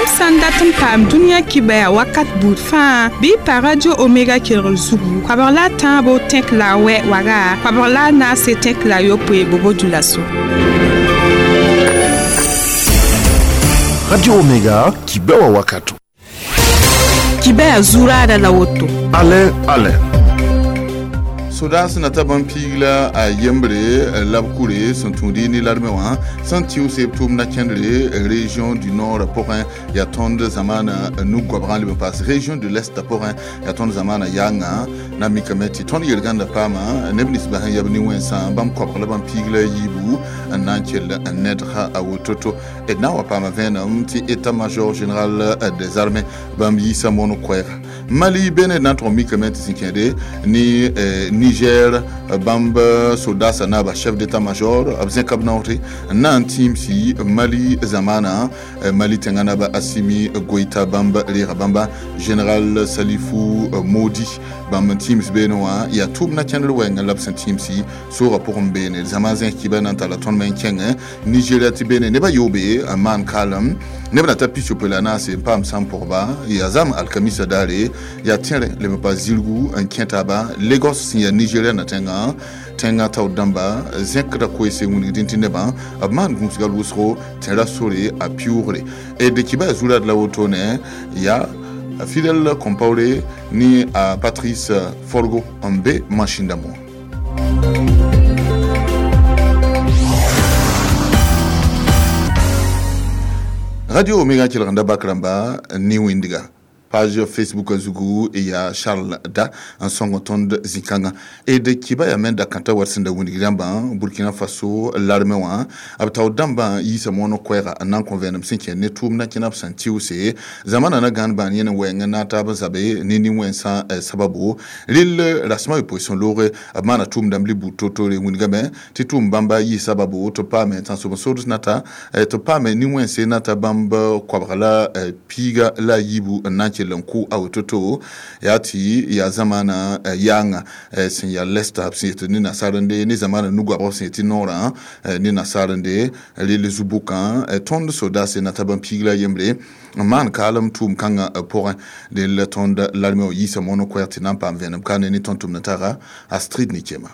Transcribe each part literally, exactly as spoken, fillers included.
Yãmb sã n dat n paam dũniyã kibaya wakat buud fãa bɩ y pa Radio Omega kelgr zugu koabg la a tãabo tẽk la a wɛ waga koabg la a naase tẽk la a yopoe bobo dulaso. Radio Omega kibewa wakato. Kibaya zurada la woto. Alain Alain. Sodas na ta bãmb piig la a yembre la b kure sẽn tũudi ne larme wã sẽn tɩʋse b tʋʋm na kẽndre région du nord pʋgẽ yaa tõnd zamaana nu-goabgã leb n paas région de l'est pʋgẽ yaa tõnd zamaana yaangã na mikame tɩ tõnd yel-gãnda paama neb nins bas n yab ne-wẽnsã bãmb koabg la bãmb piig la yiibu n na n kell n nedga a woto-to d na n wa paama vẽenem tɩ état-major général des armées bãmb yiisa moon koɛɛga Mali bene na n tʋg mikame tɩ sẽn kẽede ne Niger bãmb soldats na ba chef d'état-major b zẽka b naoore n na n tĩimsi Mali zamaana Mali tẽngã naba Assimi Goïta bãmb reega bãmba général Salifou Modi bãmb n tĩims beene wã yaa tʋʋm na kẽndr wɛɛngã la b sẽn tĩimsi soogã pʋgẽ beene zãma zẽs kiba na n talla tõnd me n kẽngẽ Nigeria tɩ beene nebã yoobe n maan kaalem neb na ta pisopoe la naase n paam sãn pʋgba yaa zam alkamisa daare yaa tẽre leb n pa zirgu n kẽ taaba Lagos sẽn yaa Nigeria na tẽngã tẽngã taoor dãmba zẽkda koeese wĩnigdẽ tɩ nebã b maan gũusga wʋsgo tẽra sore a pɩʋʋgre d kiba zurad la wotone yaa Fidel Compaoré ni a Patrice Forgo n be machine dãmbõ. Radio Omega kelgenda bak rãmba ne wĩndga page Facebook zugu ya Charles Da n sõng tõnd zĩ-kãngã d kiba yaa me dakãta wat sẽn da wilg rãmbã Burkina Faso larme wã b taoor dãmbã yiisa moon koɛɛga n na n kõ vẽenem sẽn kẽ ne tʋʋmdã kẽna b sẽn tɩʋse zamana na gãan bãan yẽne wɛɛngẽ na taab n zabe ne nin-wẽnsã sababu rel rasmã yopoe sẽn looge b maana tʋʋm dãmb libuud to-tore wilgame tɩ tʋʋm bãmba yɩ sababu tɩ paame tãnsoben-sods nata tɩ paame nin-wẽnse nata bãmb koabga la piiga la a yiibu n na n kell n kʋ a woto-to yaa tɩ yaa zamaana yaanga sẽn yaa lɛsta b sẽn yetɩ ne nasaar-n-de ne zamaana nu-goabg sẽn yetɩ noorã ne nasaar-n-de rel zu-bʋkã tõnd sodaase nata bãmb piig la yembre n maan kaalem tʋʋm kãngã pʋgẽ del tõnd larme wã yiisa moon koɛɛg tɩ na n paam vẽenem ka ne ne tõnd tʋmd taga Astrid Nikema.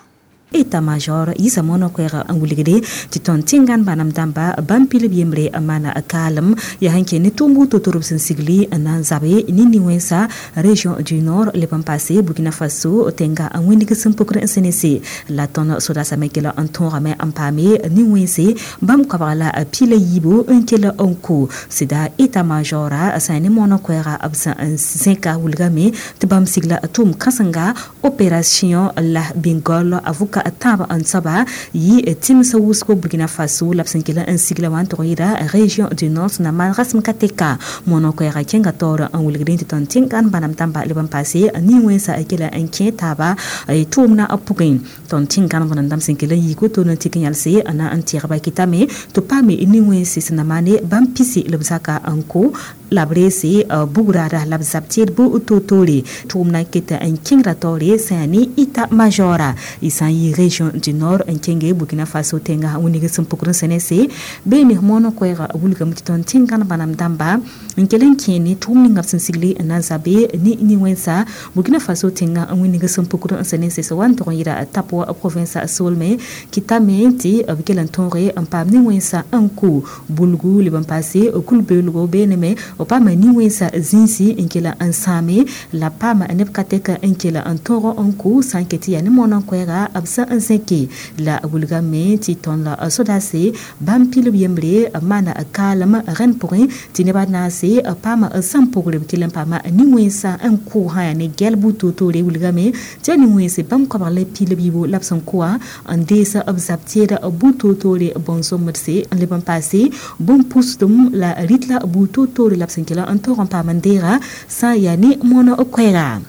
État-major yisa mono koɛɛga n wilgde tɩ tõnd tẽngan bãnem dãmba bãmb pilb yembre n maana kaalem yaa sẽn kẽ ne tʋʋm to-to b sẽn sigli n na n zabe ne nin-wẽnsa région du nord leb n paase Burkina Faso tẽnga n wĩndg sẽn pukr n sẽnese la tõnd sodasã me kell n tõogame n paame nin-wẽnse bãmb koabga la pila yiibu n kell n ko sɩda état-majora sã ne mono koɛɛga b sẽn n zẽka wilgame tɩ bãmb sigla tʋʋm kãsenga opération la Bengale avoka tãab n soaba yɩ tɩmsã wʋsgo Burkina Faso la b sẽn kell n sigla wã n tʋg yɩɩda région du nord sẽn na maan rasem ka tɛka mono koɛɛga kẽnga taoor n wilgdẽ tɩ tõnd tẽngan bãnem dãmba leb n paase nin-wẽnsã kell n kẽ taaba tʋʋmdã pʋgẽ tõnd tẽngan bãnem dãmb sẽn kell n yik woto n tɩk yãlse n na n tẽgba kɩtame tɩ paame nin-wẽnse sẽn na maane bãmb pisi la b zaka n ko la b reese bugraada la b zab tɩɩd to-toore tʋʋmdã ket n kẽngra taoore sã yaa ne état-majora y sã n yɩ région du nord n kẽnge Burkina Faso tẽnga wĩndg sẽn pukr n sẽnese beene moon koɛɛga wilgame tɩ tõnd tẽngan bãnem dãmba n kell n kẽ ne tʋʋm ninga b sẽn sigli n na n zabe ne nin-wẽnsa Burkina Faso tẽnga n wĩndg sẽn pukr n sẽnese sẽn wa n tʋg n yɩɩda Tapoa province soolme kɩtame tɩ b kell n tõoge n paam nin-wẽnsa n ko bulgu leb n paase kul-beoolgo beene me b paama nin-wẽnsa zĩisi n kell n sãame la paama neb ka tɛka n kell n tõog n kʋ sã n ket tɩ yaa ne moon koɛɛga b sẽn n zẽke la wilgame tɩ tõnd la sodaase bãmb pilb yembre maana kaalem rẽnd pʋgẽ tɩ nebã naase paama sẽn pʋgre b kell n paama nin-wẽnsã n kʋ sã yaa ne gɛlb to-toore wilgame tɩ yaa nin-wẽnse bãmb koabg la pilb yiibu la b sẽn kʋa n dees b zab tɩɩd bu to-toore bõn-sõmdse n leb n paase bũn-pusdem la rɩt la bu to-toore la b sẽn kell n tõog n paam n deega sã n yaa ne moon koɛɛga.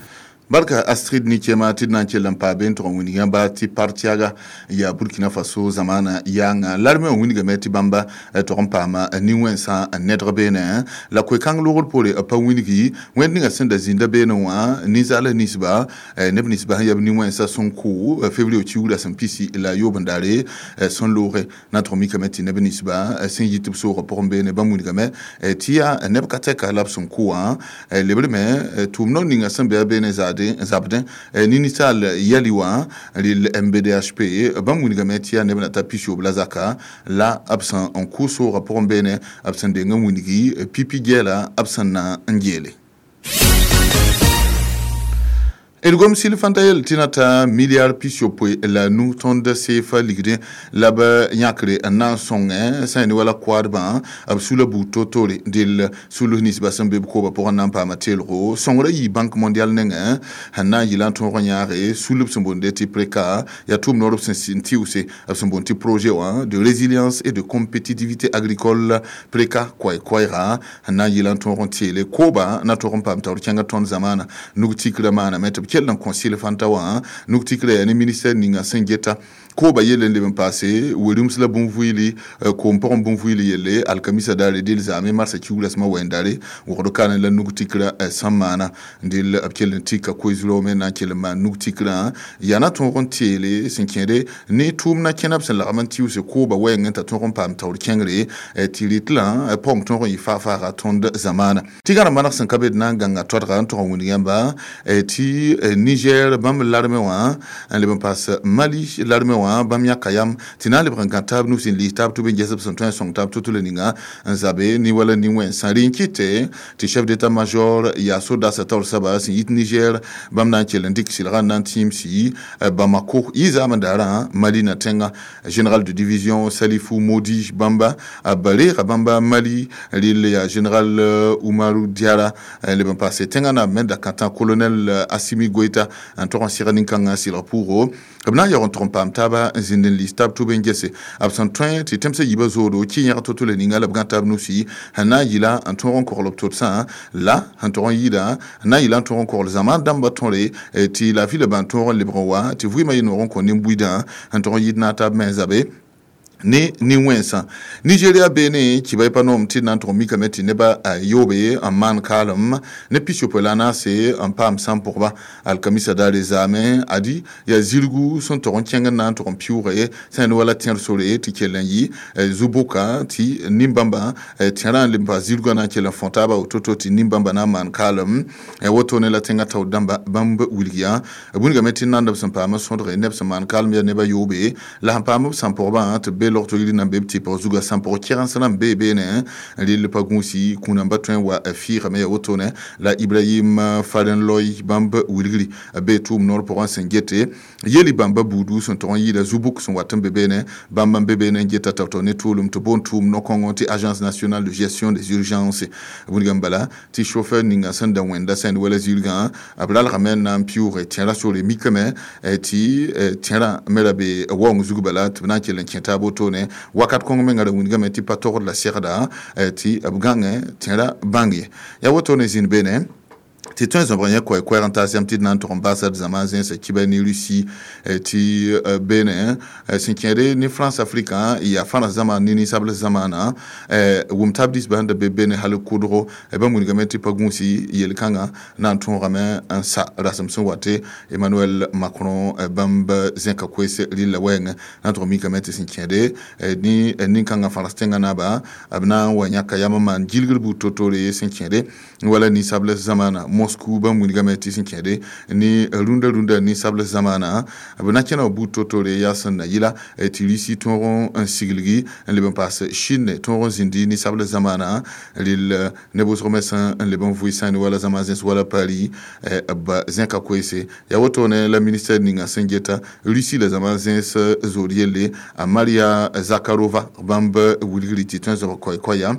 Barka Astrid ni kema tɩ d na n kell n paa be n tʋg n wilg yãmba tɩ partiaga yaa Burkina Faso zamaana yaanga larme wã wilgame tɩ bãmba tog n paama nin-wẽnsã n nedg beene la koe-kãng logr poore b pa wilgi wẽnd ninga sẽn da zĩnda beene wã ninsaala ninsba neb ninsba sẽn yab nin-wẽnsã sẽn kʋ février kiugra sẽn pisi la yoob n daare sẽn looge na n tʋg mikame tɩ neb ninsba sẽn yit b soogã pʋgẽ beene bãmb wilgame tɩ yaa neb ka tɛka la b sẽn kʋ wã lebrme tʋʋm no ninga sẽn be a beene zaade zabdẽ ninsaal yɛli wã rɩl M B D H P bãmb wilgame tɩ yaa neb na ta pis-yoob la zaka la b sẽn n kʋ soogã pʋgẽ beene b sẽn deng n wilgi pipi gɛɛla b sẽn na n geele. D gom sɩl fãnta yel tɩ na ta milliard pis-yopoe la nu tõnd seefa ligdẽ la b yãkre n na n sõngẽ sã n ne wala koadbã b sula buud to-tore dell sulus ninsba sẽn be b koobã pʋgẽ na n paama teelgo sõngrã yii Banque mondiale nengẽ sẽn na n yɩla n tõog n yãage sulb sẽn boonde tɩ PREKA yaa tʋʋm noor b sẽn tɩʋse b sẽn boond tɩ projet wã de résilience et de compétitivité agricole PREKA koɛɛ-koɛɛga sẽn na n yɩla n tõog n teele koobã na tog n paam taoor kẽngã tõnd zamaana nug tikrã maaname tɩ b kell n kõ sɩl fãnta wã nug tikrã yaa ne ministère ninga sẽn geta kooba yelle n leb n paase werums la bũn-vʋɩɩli koom pʋgẽ bũn-vʋɩɩli yelle alkamisa daare del zaame marsã kiugra sẽma wɛɛn daare wogd ka la nug tikrã sẽn maana dell b kell n tika koe-zurao me na n kell n maan nug tikrã yaa na tõog n teele sẽn kẽede ne tʋʋmdã kẽna b sẽn lagm n tɩʋse kooba wɛɛngẽ t'a tõog n paam taoor kẽngre tɩ rɩtlã paoong tõog n yɩ faa-faaga tõnd zamaana tɩ gãrem maneg sẽn ka be d na n gãnga toadga n tog n wilg yãmba tɩ Niger bãmb larme wã n leb n paas Mali larme wã bãmb yãka yam tɩ na n lebg n gã taab nus n lis taab tʋ be n ges b sẽn tõe n sõng taab to-to la ninga n zabe ne wala nin-wẽnsã rẽ n kɩte tɩ chef d'état major yaa sodasa taoor saba sẽn yit Niger bãmb na n kell n dɩk sɩlga n na n tĩim-si Bamako yɩ zaam n daarã Mali na tẽnga général de division Salifu Modi bãmba b reega bãmba Mali rɩl yaa général Umaru Diara leb n paase tẽngã naab me dakãtã colonel Assimi Goïta n tog n sɩg nin-kãngã sɩlg pʋʋgo b na n yaoog n tog n paam taaba n zĩnd n lis taab tʋb n gese b sẽn tõe tɩ tẽmsã yiibã zoodo kɩ yẽg to-to la ninga la b gã taab nusi sẽn na n yɩla n tõog n kogl b todsã la sẽn tog n yɩɩda n na n yɩla n tõog n kogl zãma dãmbã tõre tɩ laafɩ la bãn tõog n lebg n wa tɩ vɩɩmã yɩ noog n kõ nin-buidã sẽn tog n yɩɩd naag taab me n zabe ne nin-wẽnsã. Nigeria beene kɩba pa noom tɩ d na n tʋg mikame tɩ nebã yoobe n maan kaalem ne pis-yopoe la a naase n paam sãn pʋgba alkamisa daare zaame adi yaa zirgu sẽn tog n kẽng n na n tʋg n pɩʋʋge sã n wala tẽr sore tɩ kell n yɩ zu-bʋka tɩ nin-bãmba tẽrã n leb n paas zirgã na n kell n fõ taaba woto-to tɩ nin-bãmba na n maan kaalem wotone la tẽngã taoor dãmba bãmb wilg yaa wilgame tɩ nandb sẽn paam n sõdge neb sẽn maan kaalem yaa nebã yoobe la sẽn paam b sãn pʋgbã tɩ be log to yiri nan be tɩ pg zuga sãn pʋg kɛgensã n bee beene rɩl pa gũusi kũunãmba tõe n wa fiigame yaa wotone la Ibrahim Farenloy bãmb wilgri be tʋʋm noor pʋgẽ sẽn gete yeli bãmba buudu sẽn tog n yɩɩda zu-bʋk sẽn wat n be beene bãmb n be beene n geta tao-tao ne tʋʋlem tɩ boond tʋʋm no-kõngo tɩ Agence nationale de gestion des urgences wilgame bala tɩ chauffeur ninga sẽn da wẽnda sẽnd wala zirgã b ralgame n na n pɩʋʋge tẽrã sore mikame tɩ tẽrã me ra be waoong zug bala tɩ b na n kell n kẽ taab wotone wakat kõng menga ra wilgame tɩ pa togd la segda tɩ b gãngẽ tẽrã bãng ye yaa wotone zĩnd beene tɩ tõe zõbg yẽ koɛɛ-koɛɛg n taas yãmb tɩ d na n tʋg n baasa d zãma zẽnsa kiba ne Russie tɩ beene sẽn kẽede ne France Afrique yaa fãra zãma ne ninsabl zamaana wʋm tab dinsbã sẽn da be beene hal kʋdgo bãmb wilgame tɩ pa gũusi yel-kãngã na n tõogame n sa rasem sẽn wate Emmanuel Macron bãmb zẽka koees rɩlla wɛɛngẽ na n tʋg mikame tɩ sẽn kẽede ne nin-kãngã fãrs tẽngã naaba b na n wa yãka yam n maan gilgr buud to-tore sẽn kẽede wala ninsabl zamaana Moscou bãmb wilgame tɩ sẽn kẽede ne rũndã rũndã ninsabl zamaana b na kẽna buud to-tore yaa sẽn na yɩla tɩ Russie tõog n siglgi n leb n paas Chine tõog n zĩndi ninsabl zamaana rɩl neb wʋsg me sẽn n leb n vʋɩ sãne wala zãma zẽs wala Paris b zẽka koeese yaa wotone la ministère ninga sẽn geta Russie la zãma zẽs zood yelle a Maria Zakharova bãmb wilgri tɩ tõe n zob koɛ-koɛya.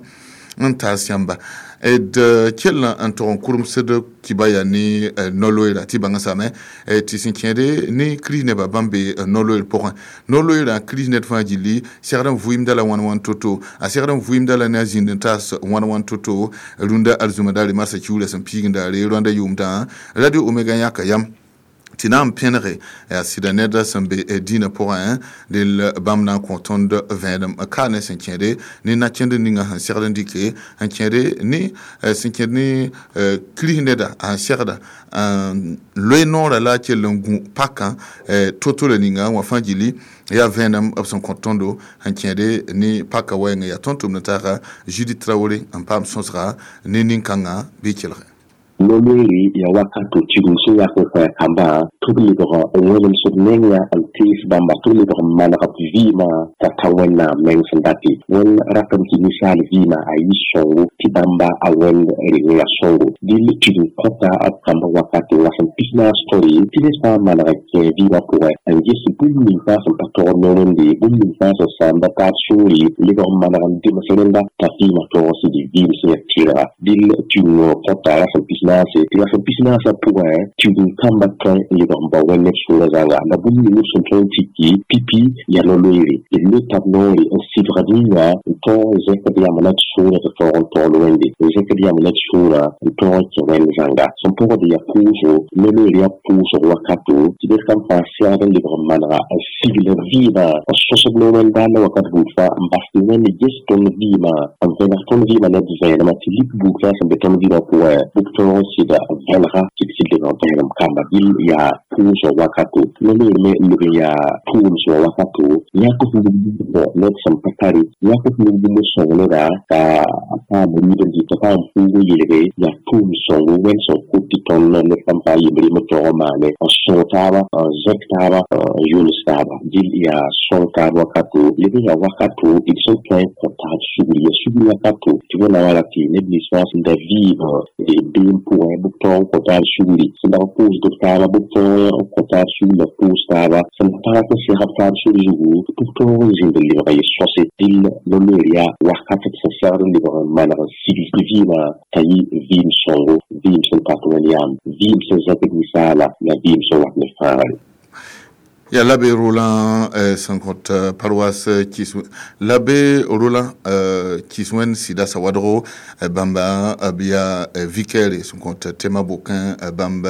n taas yãmba d kell n tog n kuremsd kiba yaa ne no-loeera tɩ bãnga same tɩ sẽn kẽede ne kirist nebã bãmb be no-loeer pʋgẽ. No-loeerã kirist ned fãa gilli segd n vʋɩɩmda la wãn wãn to-to, a segd n vʋɩɩmda la ne a zĩnd n taas wãn wãn to-to. Rũndã arzũma daare marsã kiuurã sẽn piigẽ daare rõanda yʋʋmdã Radio Omega yãka yam tɩ na n pẽnege yaa sɩda ned sẽn be dĩinã pʋgẽ dell bãmb na n kõ tõnd vẽenem ka ne sẽn kẽede ne na-kẽnd ninga sẽn segd n dɩke n kẽede ne sẽn kẽed ne kirist neda sẽn segda n loe noorã la a kell n gũ pakã to-to la ninga wã fãa gilli yaa vẽenem b sẽn kõ tõndo sẽn kẽede ne paka wɛɛngã. Yaa tõnd tʋmd taaga Judith Traoré n paam sõsga ne nin-kãngã bɩ kelge. No-loeere yaa wakato tigum sẽn yak n kõ kambã tɩ b lebg n wẽnemsd menga n tees bãmba tɩ b lebg n maneg b vɩɩmã t'a ta Wẽnnaam meng sẽn date. Wẽnd ratame tɩ ninsaal vɩɩmã a yɩ sõngo tɩ bãmba a wẽnd reng yaa sõngo. Dɩl tigum kõta b kamba wakate n rasem pis naas tõre tɩ ned fãa maneg n kẽ vɩɩmã pʋgẽ n ges bũmb ning fãa sẽn pa tog no-wẽnde, bũmb ning fãa sẽn sãamda taab sũure, lebg n maneg n dems rẽnda t'a vɩɩmã tõog n sɩd vɩɩm sẽn yaa tɩrga. Dɩl tigum kõta rasem pis naase tɩ rasem pis naasã pʋgẽ tigum kambã tõe n lebg n bao wẽnd neb sʋʋrã zãnga la bũmb ning b sẽn tõe n tiki pipi yaa no-loeere. D lota b noore n sɩbgd yĩnga n tõog n zẽkd yam la d sʋʋrã tɩ tõog n togl wẽnde, n zẽkd yam la d sũurã n tõog n kẽ wẽnd zãnga sẽn pʋgd yaa pʋʋsgo. No-loeer yaa pʋʋsg wakato tɩ ned kam fãa segd n lebg n manega n sigl vɩɩmã n sõsd no-wẽndaandã wakat buud fãa n bas tɩ Wẽnd ges tõnd vɩɩmã n vẽneg tõnd vɩɩmã ne d vẽenemã tɩ lik buud fãa sẽn be tõnd vɩɩmã pʋgẽ bʋk tõog n sɩda vẽnega tɩ d sɩd lebg n vẽenem kamba. Dɩl yaa pʋʋsg wakato. No-loeer me leb n yaa tʋʋmsgã wakato yãk f nug ned sẽn pa tare, yãk f nug bũmb sõng neda t'a paam rɩɩb n dɩ t'a paam fuug n yelge yaa tʋʋm sõngo. Wẽnd sẽn kot tɩ tõnd ned sãn pa yembre me tõog n maane n sõng taaba, n zẽk taaba, n yols taaba. Dɩl yaa sõng taab wakato. Leb n yaa wakato d sẽn tõe n kõ taab sugri, yaa sugri wakato tɩ wẽnnaam wala tɩ neb nins fãa sẽn da vɩɩm beem pʋgẽ bɩ b tõog n kõ taab sugri, sẽn dag n pʋʋsd b taaba bɩ b tõog n kõ taab sugri la pʋʋs taaba, sẽn pa rat n seg b taab sor zugu tɩ b tõog n zĩnd n lebga yel-sõse. Dɩl no-loeer yaa wakat d sẽn segd n lebg n maneg n sigl vɩɩmã t'a yɩ vɩɩm sõngo, vɩɩm sẽn tat wẽn-yaam, vɩɩm sẽn zãkd ninsaala la vɩɩm sẽn wat ne fãagre. Ya l'abbé Roland sẽn kõt paroisse Kis, l'abbé Roland Kiswen sɩda sawadgo bãmba b yaa vicaire sẽn kõt tẽmã bokẽ bãmb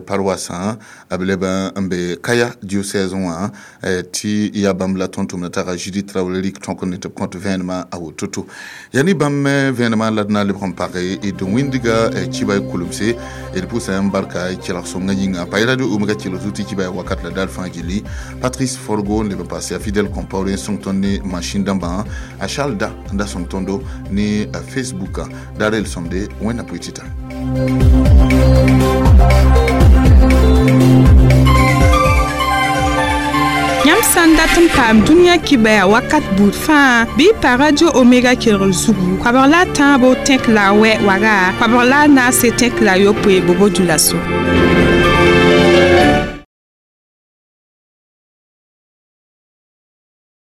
paroissã b leb n be Kaya diocèse wã tɩ yaa bãmb la tõnd tʋmda taga Judith Traoré rɩk tõk ne tɩ b kõt vẽenemã a woto-to. Yaa ne bãmb vẽenemã la d na n lebg n page d wĩndga kiba kulemse d pʋsa n barka kelg sõngã yĩnga pa Radio Omega kelg zu tɩ kiba wakat la dar fãa gilli. Patrice Forgo n leb n paase a Fidèle Compaoré n sõng tõnd ne machine dãmbã, a Charles da n da sõng tõndo ne Facebook daar el sõmde. Wẽnna pʋɩ tɩta. Yãmb sã n dat n paam dũniyã kibaya wakat buud fãa bɩ pa Radio Omega kelgr zugu koabg la a tãabo tẽk la a wɛ waga koabg la a naase tẽk la a yopoe bobo dula-so.